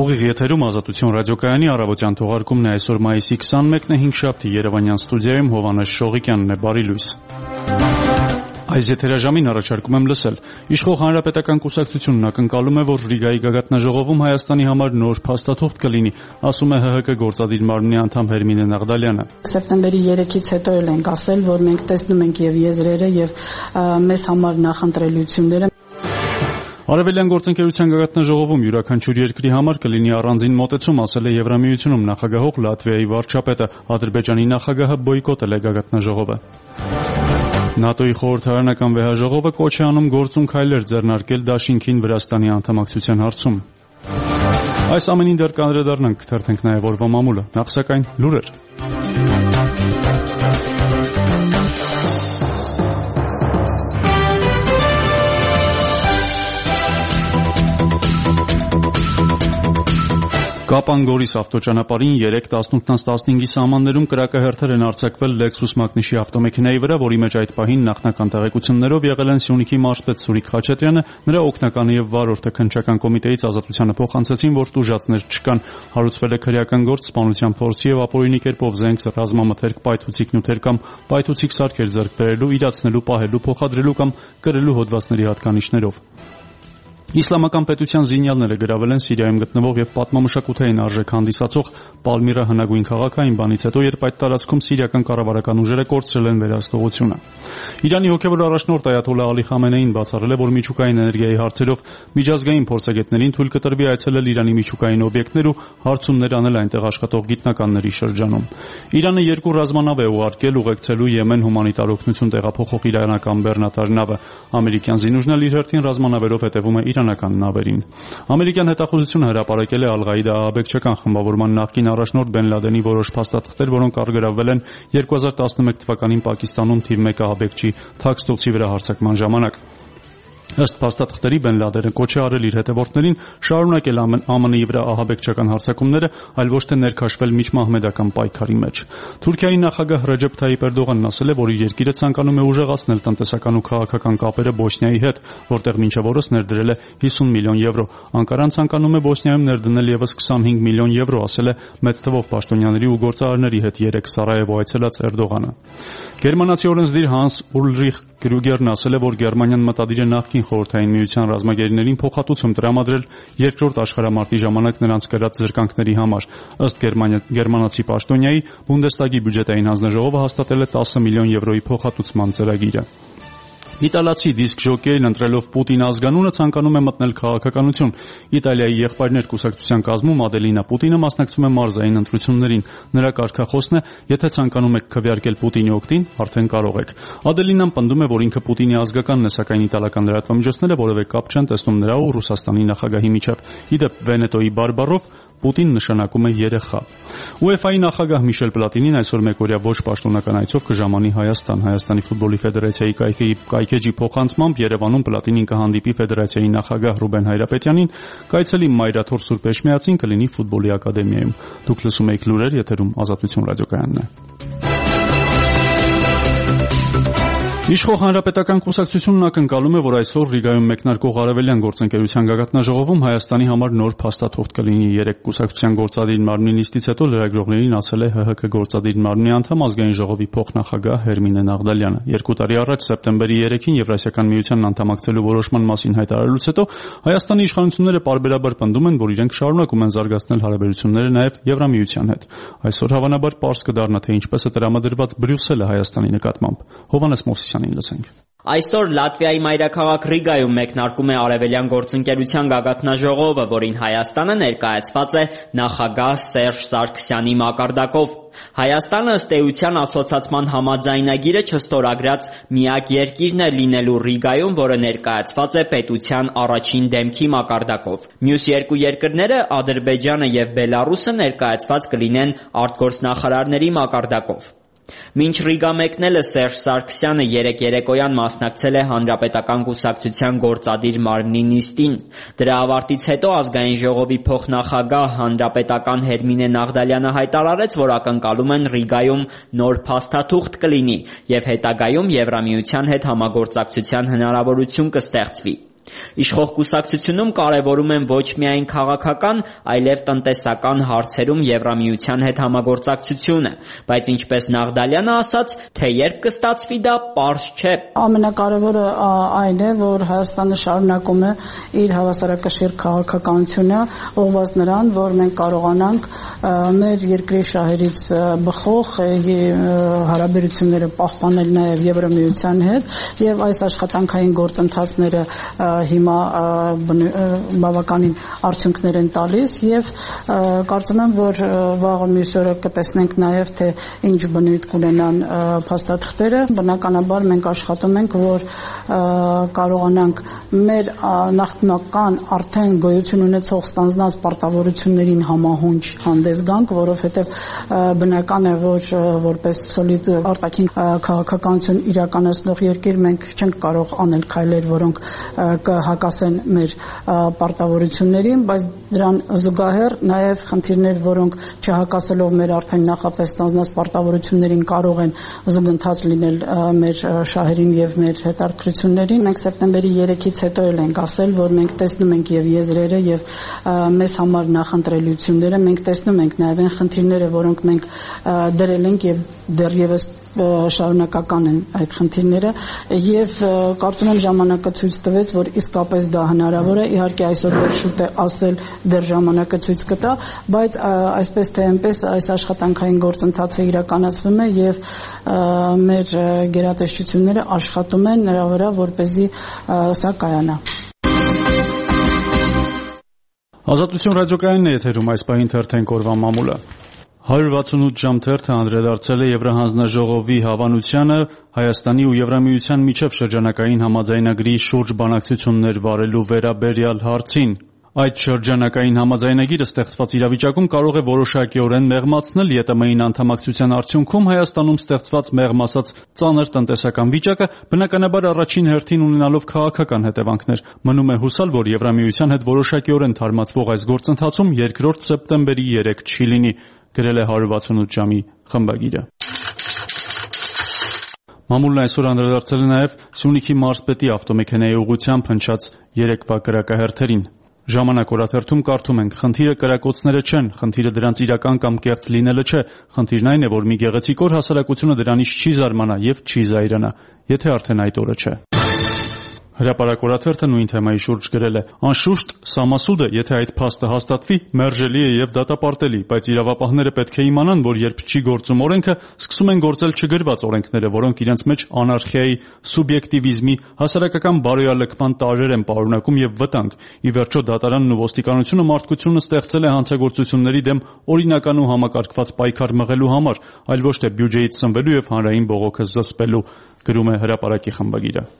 Ուղիղ եթերում Ազատություն ռադիոկայանի առավոտյան թողարկումն է այսօր մայիսի 21-ն է 5-շաբթի Երևանյան ստուդիայում Հովհաննես Շողիկյանն է, բարի լույս։ Այս եթերաժամին առաջարկում եմ լսել. Իշխող Հանրապետական կուսակցությունն ակնկալում է, որ Ռիգայի գագաթնաժողովում Հայաստանի համար նոր փաստաթուղթ կլինի, ասում է ՀՀԿ գործադիր մարմնի անդամ Հերմինե Նաղդալյանը։ Սեպտեմբերի 3-ից հետո էլ ենք ասել, որ մենք տեսնում ենք եւ եզրերը եւ մեզ համար նախընտրելիությունները։ Արևելյան գործընկերության գագաթնաժողովում յուրաքանչյուր երկրի համար կլինի առանձին մոտեցում, ասել է Եվրամիությունում նախագահող Լատվիայի վարչապետը, Ադրբեջանի նախագահը բոյկոտել է գագաթնաժողովը։ ՆԱՏՕ-ի խորհրդարանական վեհաժողովը կոչ է անում գործուն քայլեր ձեռնարկել Դաշինքին Վրաստանի անդամակցության հարցում։ Այս ամենին դեռ կանդրադառնանք, թերթենք նաև օրվա մամուլը, նախ սակայն լուրեր։ Կապան-Գորիս ավտոճանապարհին 3:18-15-ի սահմաններում կրակահերթեր են արձակվել Lexus մակնիշի ավտոմեքենայի վրա, որի մեջ այդ պահին նախնական տեղեկություններով եղել են Սյունիքի մարզպետ Սուրիկ Խաչատրյանը, նրա օգնականը եւ վարորդը քննչական կոմիտեից ազատությանը փոխանցեցին, որ տուժածներ չկան։ Հարուցվել է քրեական գործ, սպանության փորձի եւ ապօրինի կերպով զենք, ռազմամթերք, պայթուցիկ նյութեր կամ պայթուցիկ սարքեր ձեռք բերելու, իրացնելու, պահելու, փոխադրելու կամ կրելու հոդվածների հատկանիշներով։ Իսլամական պետության զինյալները գրավել են Սիրիայում գտնվող եւ պատմամշակութային արժեք հանդիսացող Պալմիրա հնագույն քաղաքային բանից հետո, երբ այդ տարածքում սիրիական կառավարական ուժերը կորցրել են վերահսկողությունը։ Իրանի հոգեվոր առաջնորդ Այաթոլլահ Ալի Խամենեին բացառել է, որ միջուկային էներգիայի հարցերով միջազգային փորձագետներին թույլ կտրվի այցելել Իրանի միջուկային օբյեկտներ ու հարցումներ անել այնտեղ աշխատող գիտնականների շրջանում։ Իրանը 2 ռազմանավ է ուղարկել ուղեկցելու Եմեն հումանիտար օգնություն տեղափոխող իրանական բեռնատար նավը։ Ամերիկյան զինուժն էլ իր հերթին ռազմանավերով հետևում է իրանական նավերին։ Ամերիկյան հետախուզությունը հրապարակել է Ալ-Ղաիդա ահաբեկչական խմբավորման նախկին առաջնորդ Բեն Լադենի որոշ փաստաթղթեր, որոնք առգրավվել են 2011 թվականին Պակիստանում թիվ 1 ահաբեկչի Թաքստոցի վրա հարձակման ժամանակ։ Ըստ փաստաթղթերի Բեն Լադենը կոչ է արել իր հետևորդներին շարունակել ԱՄՆ-ի վրա ահաբեկչական հարձակումները, այլ ոչ թե ներքաշվել միջմահմեդական պայքարի մեջ։ Թուրքիայի նախագահ Ռեջեփ Թայիպ Էրդողանն ասել է, որ իր երկիրը ցանկանում է ուժեղացնել տնտեսական ու քաղաքական կապերը Բոսնիայի հետ, որտեղ մինչև օրս ներդրել է 50 միլիոն եվրո։ Անկարան ցանկանում է Բոսնիայում ներդնել եւս 25 միլիոն եվրո, ասել է մեծ թվով պաշտոնյաների ու գործարարների հետ 3 Սարայևո այցելած Էրդողանը։ Գերմանացի օրենսդիր Հանս Ուլրիխ Կրուգերն ասել է, որ Գերմանիան մտադիր է նախկին խորհրդային միության ռազմագերիներին փոխհատուցում տրամադրել երկրորդ աշխարհամարտի ժամանակ նրանց կրած զրկանքների համար։ Ըստ գերմանացի պաշտոնյայի, Բունդեստագի բյուջետային հանձնաժողովը հաստատել է 10 միլիոն եվրոյի փոխհատուցման ծրագիրը։ Իտալացի դիսկ ժոկեյն ընտրելով Պուտին ազգանունը ցանկանում է մտնել քաղաքականություն։ Իտալիայի եղբայրներ կուսակցության կազմում Ադելինա Պուտինը մասնակցում է մարզային ընտրություններին։ Նրա կարգախոսն է՝ եթե ցանկանում եք քվեարկել Պուտինի օգտին, արդեն կարող եք։ Ադելինան պնդում է, որ ինքը Պուտինի ազգականն է, սակայն իտալական լրատվամիջոցները որևէ կապ չեն տեսնում նրա ու Ռուսաստանի նախագահի միջև։ Ի դեպ, Վենետոյի բարբառով Պուտին նշանակում է երեխա։ UEFA-ի նախագահ Միշել Պլատինին այսօր մեկօրյա ոչ պաշտոնական այցով կժամանի Հայաստան։ Հայաստանի ֆուտբոլի ֆեդերացիայի կայքեջի փոխանցմամբ Երևանում Պլատինին կհանդիպի ֆեդերացիայի նախագահ Ռուբեն Հայրապետյանին, կայցելի Մայրաթոր Սուրբ Էշմիածին կլինի ֆուտբոլի ակադեմիայում։ Դուք լսում եք լուրեր, եթերում Ազատություն ռադիոկայանն է։ Իշխող Հանրապետական կուսակցությունն ակնկալում է, որ այսօր Ռիգայում մեկնարկող Արևելյան գործընկերության գագաթնաժողովում Հայաստանի համար նոր փաստաթուղթ կլինի։ 3 կուսակցության գործադիր մարմնի նիստից հետո լրագրողներին ասել է ՀՀԿ գործադիր մարմնի անդամ ազգային ժողովի փոխնախագահ Հերմինե Նաղդալյանը։ 2 տարի առաջ սեպտեմբերի 3-ին Եվրասիական միությանն անդամակցելու որոշման մասին հայտարարելուց հետո Հայաստանի իշխանությունները պարբերաբար պնդում են, որ իրենք շարունակում են զարգացնել հարաբերությունները նաև Եվրամիության հետ։ Այսօր հավանաբար պարզ կդառնա, թե ինչպես է տրամադրված Բրյուսելը Հայաստանի նկատմամբ։ Հովհաննես Մովսիսյանին լսենք։ Այսօր Լատվիայի մայրաքաղաք Ռիգայում մեկնարկում է Արևելյան գործընկերության գագաթնաժողովը, որին Հայաստանը ներկայացված է նախագահ Սերժ Սարգսյանի մակարդակով։ Հայաստանը ըստ էության ասոցացման համաձայնագիրը չստորագրած միակ երկիրն է լինելու Ռիգայում, որը ներկայացված է պետության առաջին դեմքի մակարդակով։ Մյուս 2 երկրները Ադրբեջանը եւ Բելարուսը ներկայացված կլինեն արտգործնախարարների մակարդակով։ Մինչ Ռիգա մեկնելը Սերժ Սարգսյանը երեկոյան մասնակցել է Հանրապետական կուսակցության գործադիր մարմնի նիստին։ Դրա ավարտից հետո ազգային ժողովի փոխնախագահ հանրապետական Հերմինե Նաղդալյանը հայտարարեց, որ ակնկալում են Ռիգայում նոր փաստաթուղթ կլինի եւ հետագայում Եվրամիության հետ համագործակցության հնարավորություն կստեղծվի։ Իշխող կուսակցությունում կարևորում են ոչ միայն քաղաքական, այլև տնտեսական հարցերում Եվրամիության հետ համագործակցությունը, բայց ինչպես Նաղդալյանը ասաց, թե երբ կստացվի դա, պարզ չէ։ Ամենակարևորը այն է, որ Հայաստանը շարունակում է իր հավասարակշիռ քաղաքականությունը, ուղղված նրան, որ մենք կարողանանք մեր երկրի շահերից բխող հարաբերությունները պահպանել նաև Եվրամիության հետ, եւ այս աշխատանքային գործընթացները հիմա բավականին արդյունքներ են տալիս եւ կարծում եմ, որ վաղը մյուս օրը կտեսնենք նաև թե ինչ բնույթ կունենան փաստաթղթերը։ Բնականաբար մենք աշխատում ենք, որ կարողանանք մեր նախնական արդեն գոյություն ունեցող ստանձնած պարտավորություններին համահունչ հանդես գանք, որովհետեւ բնական է, որ որպես սոլիդ արտաքին քաղաքականություն իրականացնող երկիր մենք չենք կարող անել քայլեր, որոնք կհակասեն մեր պարտավորություններին, բայց դրան զուգահեռ նաև խնդիրներ, որոնք չհակասելով մեր արդեն նախապես ստանձնած պարտավորություններին կարող են զուգընթաց լինել մեր շահերին եւ մեր հետաքրքրություններին։ Մենք սեպտեմբերի 3-ից հետո ենք ասել, որ մենք տեսնում ենք եւ եզրերը եւ մեզ համար նախընտրելիությունները, մենք տեսնում ենք նաև այն խնդիրները, որոնք մենք դրել ենք եւ դեռևս շարունակական են այդ խնդիրները եւ կարծում եմ ժամանակը ցույց տվեց, որ իսկապես դա հնարավոր է։ Իհարկե այսօր դեռ շուտ է ասել, դեռ ժամանակը ցույց կտա, բայց այսպես թե այնպես այս աշխատանքային գործընթացը իրականացվում է եւ մեր գերատեսչությունները աշխատում են նրա վրա, որպեսզի սա կայանա։ Ազատություն ռադիոկայանն է եթերում այս պահին թերթենք օրվա մամուլը։ 168 ժամ թերթը անդրադարձել է Եվրահանձնաժողովի հավանությանը Հայաստանի ու Եվրամիության միջև շրջանակային համաձայնագրի շուրջ բանակցություններ վարելու վերաբերյալ հարցին։ Այդ շրջանակային համաձայնագիրը ստեղծված իրավիճակում կարող է որոշակիորեն մեղմացնել ԵՏՄ-ին անդամակցության արդյունքում Հայաստանում ստեղծված մեղմ ասած ծանր տնտեսական վիճակը, բնականաբար առաջին հերթին ունենալով քաղաքական հետևանքներ։ Մնում է հուսալ, որ Եվրամիության հետ որոշակիորեն թարմացվող այս գործընթացում 2 սեպտեմբերի 3 չի լինի, գրել է 168 ժամի խմբագիրը։ Մամուլն այսօր անդրադարձել է նաև Սյունիքի մարզպետի ավտոմեքենայի ուղղությամբ հնչած երեկվա կրակահերթերին։ Ժամանակ օրաթերթում կարդում ենք. խնդիրը կրակոցները չեն, խնդիրը դրանց իրական կամ կեղծ լինելը չէ, խնդիրն այն է, որ մի գեղեցիկ օր հասարակությունը դրանից չի զարմանա եւ չի զայրանա, եթե արդեն այդ օրը չէ։ Հրապարակորաթերթը նույն թեմայի շուրջ գրել է. անշուշտ սամասուդը, եթե այդ փաստը հաստատվի, մերժելի է եւ դատապարտելի, բայց իրավապահները պետք է իմանան, որ երբ չի գործում օրենքը, սկսում են գործել չգրված օրենքները, որոնք իրենց մեջ անարխիայի, սուբյեկտիվիզմի, հասարակական բարոյալքման տարրեր են պարունակում եւ վտանգ։ Ի վերջո դատարանն ու ոստիկանությունը մարդկությունը ստեղծել է հանցագործությունների դեմ օրինական ու համակարգված պայքար մղելու համար, այլ ոչ թե բյուջեից սնվելու եւ հանրային բողոքը զսպելու, գրում է հրապարակի խմբագիրը։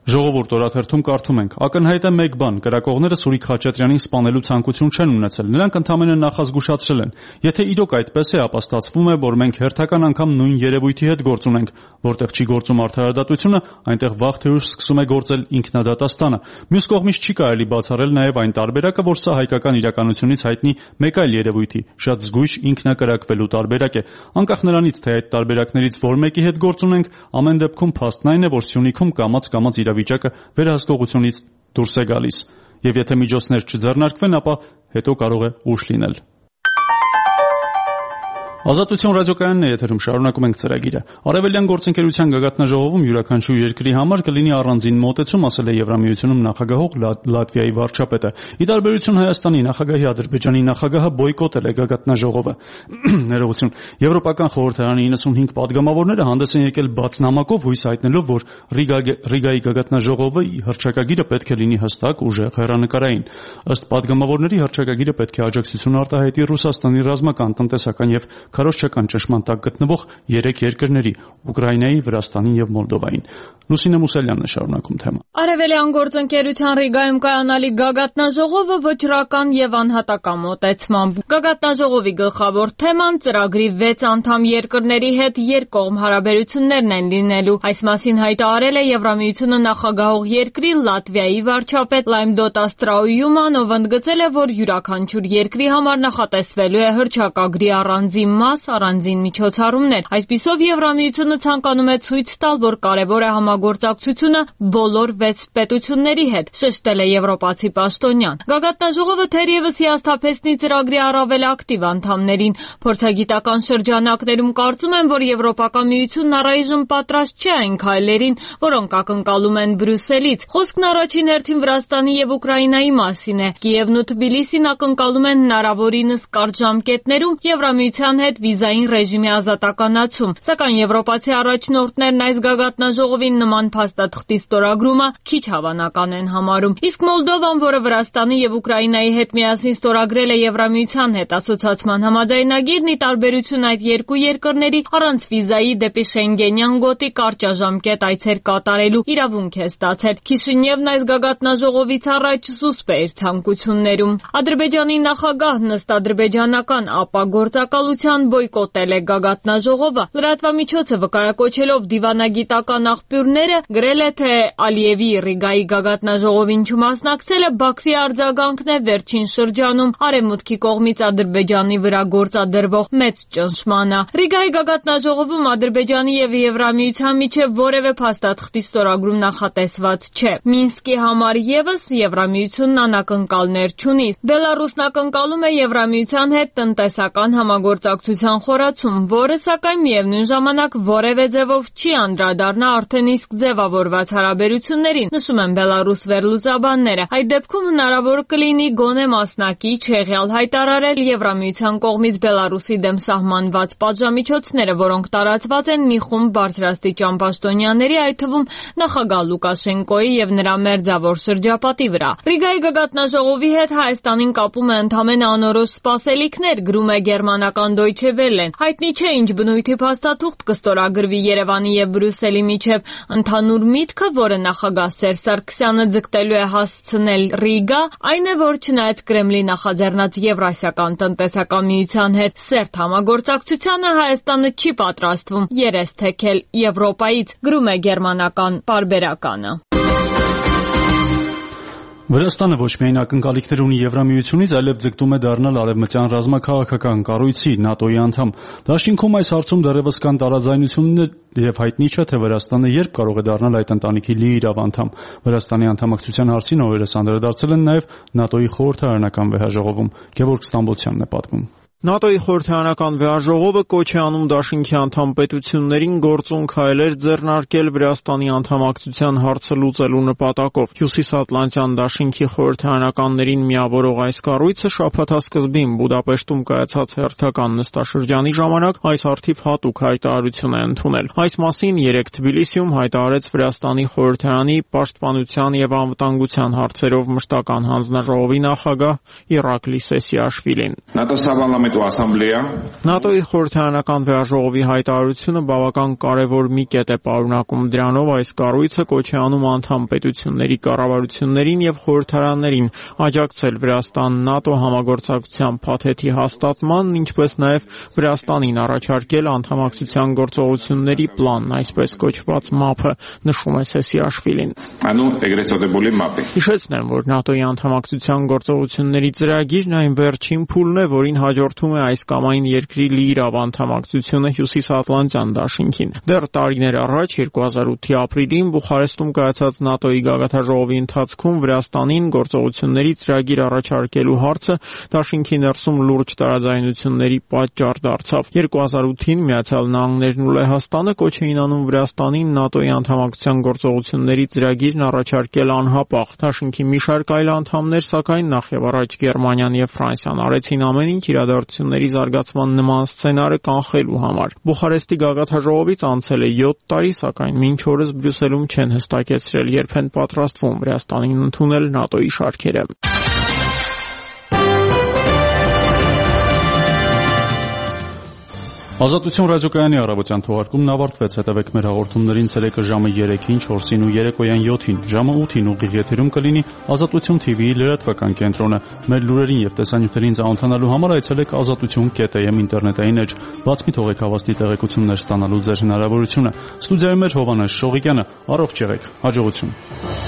Ժողովուրդ օրաթերթում կարդում ենք. ակնհայտ է մեկ բան, կրակողները Սուրիկ Խաչատրյանին սպանելու ցանկություն չեն ունեցել, նրանք ընդամենը նախազգուշացրել են։ Եթե իրոք այդպես է, ապա ստացվում է, որ մենք հերթական անգամ նույն երևույթի հետ գործ ունենք, որտեղ չի գործում արդարադատությունը, այնտեղ վաղ թե ուշ սկսում է գործել ինքնադատաստանը։ Մյուս կողմից չի կարելի բացառել նաև այն տարբերակը, որ սա հայկական իրականությունից հայտնի մեկ այլ երևույթի, շատ զգույշ ինքնակրակվելու տարբերակ է։ Անկախ նրանից, թե այդ տարբերակներից որ մեկի հետ գործ ունենք, ամեն դեպքում փաստն այն է, որ Սյունիքում կամաց իրավիճակը վերահսկողությունից դուրս է գալիս, եւ եթե միջոցներ չձեռնարկվեն, ապա հետո կարող է ուշ լինել։ Ազատություն ռադիոկայանն է եթերում, շարունակում ենք ծրագիրը։ Արևելյան գործընկերության գագաթնաժողովում յուրաքանչյուր երկրի համար կլինի առանձին մոտեցում, ասել է Եվրամիությունում նախագահող Լատվիայի վարչապետը։ Ի տարբերություն Հայաստանի նախագահի, Ադրբեջանի նախագահը բոյկոտել է գագաթնաժողովը։ Ներողություն։ Եվրոպական խորհրդարանի 95 падգամավորները հանդես են եկել բաց նամակով, հույս հայտնելով, որ Ռիգայի գագաթնաժողովի հռչակագիրը պետք է լինի հստակ, ուժեղ, հեռանկարային։ Ըստ падգամավորների հռչակագիրը պետք է աջակցություն արտահայտի Ռուսաստանի ռազմական, տնտեսական եւ քարոզչական ճնշման տակ գտնվող 3 երկրների՝ Ուկրաինայի, Վրաստանին եւ Մոլդովային։ Լուսինե Մուսալյանն է շարունակում թեման։ Արևելյան գործընկերության Ռիգայում կայանալի գագաթնաժողովը վճռական եւ անհատական մոտեցմամբ։ Գագաթնաժողովի գլխավոր թեման ծրագրի 6 անդամ երկրների հետ երկկողմ հարաբերություններն են լինելու։ Այս մասին հայտարարել է Եվրամիությունը նախագահող երկրի Լատվիայի վարչապետ Լայմդոտ Աստրաույուման, ով ընդգծել է, որ յուրաքանչյուր երկրի համար նախատեսվելու է հռչակագրի առանձին մաս առանձին միջոցառումներ։ Այսպիսով Եվրամիությունը ցանկանում է ցույց տալ, որ կարևոր է համագործակցությունը բոլոր 6 պետությունների հետ, շեշտել է եվրոպացի պաշտոնյան։ Գագաթնաժողովը թերևս հիասթափեցնի ծրագրի առավել ակտիվ անդամներին։ Փորձագիտական շրջանակներում կարծում են, որ Եվրոպական միությունն առայժմ պատրաստ չէ այն քայլերին, որոնք ակնկալում են Բրյուսելից։ Խոսքն առաջին հերթին Վրաստանի եւ Ուկրաինայի մասին է։ Կիևն ու Թբիլիսին ակնկալում են հնարավորինս կարճ ժամկետներում Եվրամիության հետ վիզային ռեժիմի ազատականացում։ Սակայն եվրոպացի առաջնորդներն այս գագաթնաժողովին նման փաստաթղթի ստորագրումը քիչ հավանական են համարում։ Իսկ Մոլդովան, որը Վրաստանի եւ Ուկրաինայի հետ միասին ստորագրել է Եվրամիության հետ ասոցիացման համաձայնագիրն, ի տարբերություն այդ երկու երկրների, առանց վիզայի դեպի Շենգենյան գոտի կարճաժամկետ այցեր կատարելու իրավունք է ստացել։ Քիշինևն այս գագաթնաժողովից առաջ զուսպ է իր ցանկություններում։ Ադրբեջանի նախագահն ըստ ադրբեջանական ԱՊԱ գործակալության բոյկոտել է գագաթնաժողովը։ Լրատվամիջոցը վկայակոչելով դիվանագիտական աղբյուրները գրել է, թե Ալիևի Ռիգայի գագաթնաժողովին չմասնակցելը Բաքվի արձագանքն է վերջին շրջանում Արևմուտքի կողմից Ադրբեջանի վրա գործադրվող մեծ ճնշմանը։ Ռիգայի գագաթնաժողովում Ադրբեջանի եւ Եվրամիության միջև որևէ փաստաթղթի ստորագրում նախատեսված չէ։ Մինսկի համար եւս Եվրամիությունն անակնկալներ չունի։ Բելարուսն ակնկալում է Եվրամիության հետ տնտեսական համագործակցության խորացում, որը սակայն միևնույն ժամանակ որևէ ձևով չի անդրադառնա արդեն իսկ ձևավորված հարաբերություններին, նշում են Բելարուս վերլուծաբանները։ Այդ դեպքում հնարավոր կլինի գոնե մասնակից հեղյալ հայտարարել Եվրամիության կողմից Բելարուսի դեմ սահմանված պատժամիջոցները, որոնք տարածված են մի խումբ բարձրաստիճան պաշտոնյաների, այդ թվում նախագահ Լուկաշենկոյի եւ նրա մերձավոր շրջապատի վրա։ Ռիգայի գագաթնաժողովի հետ Հայաստանին կապում է ընդամենը անորոշ սպասելիքներ, գրում է գերմանական Deutsche Welle-ն։ Հայտնի չէ ինչ բնույթի փաստաթուղթ կստորագրվի Երևանի եւ Բրյուսելի միջև։ Ընդհանուր միտքը, որը նախագահ Սերժ Սարգսյանը ձգտելու է հասցնել Ռիգա, այն է, որ չնայած Կրեմլի նախաձեռնած Եվրասիական տնտեսական միության հետ սերտ համագործակցությանը, Հայաստանը չի պատրաստվում երես թեքել Եվրոպայից, գրում է գերմանական պարբերականը։ Վրաստանը ոչ միայն ակնկալիքներ ունի Եվրամիությունից, այլև ձգտում է դառնալ արևմտյան ռազմաքաղաքական կառույցի ՆԱՏՕ-ի անդամ։ Դաշինքում այս հարցում դեռևս կան տարաձայնություններ եւ հայտնի չէ, թե Վրաստանը երբ կարող է դառնալ այդ ընտանիքի լիիրավ անդամ։ Վրաստանի անդամակցության հարցին օրերս անդրադարձել են նաեւ ՆԱՏՕ-ի խորհրդարանական վեհաժողովում։ Գևորգ Ստամբոլցյանն է պատմում։ ՆԱՏՕ-ի խորհրդարանական վեհաժողովը կոչ է անում դաշինքի անդամ պետություններին գործուն քայլեր ձեռնարկել Վրաստանի անդամակցության հարցը լուծելու նպատակով։ Հյուսիսատլանտյան դաշինքի խորհրդարանականներին միավորող այս կառույցը շաբաթասկզբին Բուդապեշտում կայացած հերթական նստաշրջանի ժամանակ այս հարթիվ հատուկ հայտարարություն է ընդունել։ Այս մասին երեկ Թբիլիսիում հայտարարեց Վրաստանի խորհրդարանի պաշտպանության եւ անվտանգության հարցերով մշտական հանձնաժողովի նախագահ Իրակլի Սեսիաշվիլին։ ՆԱՏՕ-ի խորհրդարանական վեհաժողովի հայտարարությունը բավական կարևոր մի կետ է պարունակում։ Դրանով այս կառույցը կոչ է անում անդամ պետությունների կառավարություններին եւ խորհրդարաններին աջակցել Վրաստան-ՆԱՏՕ համագործակցության փաթեթի հաստատմանն, ինչպես նաեւ Վրաստանին առաջարկել անդամակցության գործողությունների պլանն, այսպես կոչված ՄԱՊ-ը, նշում է Սեսիաշվիլին։ Հիշեցնեմ, որ ՆԱՏՕ-ի անդամակցության գործողությունների ծրագիրն այն վերջին փուլն է, որին հաջորդում է այս կամ այն երկրի լիիրավ անդամակցությունը Հյուսիսատլանտյան դաշինքին։ Դեռ տարիներ առաջ 2008-ի ապրիլին Բուխարեստում կայացած ՆԱՏՕ-ի գագաթնաժողովի ընթացքում Վրաստանին գործողությունների ծրագիր առաջարկելու հարցը դաշինքի ներսում լուրջ տարաձայնությունների պատճառ դարձավ։ 2008-ին Միացյալ Նահանգներն ու Լեհաստանը կոչ էին անում Վրաստանին ՆԱՏՕ-ի անդամակցության գործողությունների ծրագիրն առաջարկել անհապաղ։ Դաշինքի մի շարք այլ անդամներ, սակայն նախ եւ առաջ Գերմանիան եւ Ֆրանսիան արեցին ամեն ինչ իրադարձությունների զարգացման նման սցենարը կանխելու համար։ Բուխարեստի գագաթնաժողովից անցել է 7 տարի, սակայն մինչ օրս Բրյուսելում չեն հստակեցրել, երբ են պատրաստվում Վրաստանին ընդունել ՆԱՏՕ-ի շարքերը։ Ազատություն ռադիոկայանի առավոտյան թողարկումն ավարտվեց։ Հետևեք մեր հաղորդումներին ցերեկը ժամը 3-ին, 4-ին ու երեկոյան 7-ին, ժամը 8-ին ուղիղ եթերում կլինի Ազատություն TV-ի լրատվական կենտրոնը։ Մեր լուրերին եւ տեսանյութերին ծանոթանալու համար այցելեք azatutun.am ինտերնետային էջ։ Բաց մի թողեք հավաստի տեղեկություններ ստանալու ձեր հնարավորությունը։ Ստուդիայում էր Հովանես Շողիկյանը։ Առողջ եղեք։ Հաջողություն։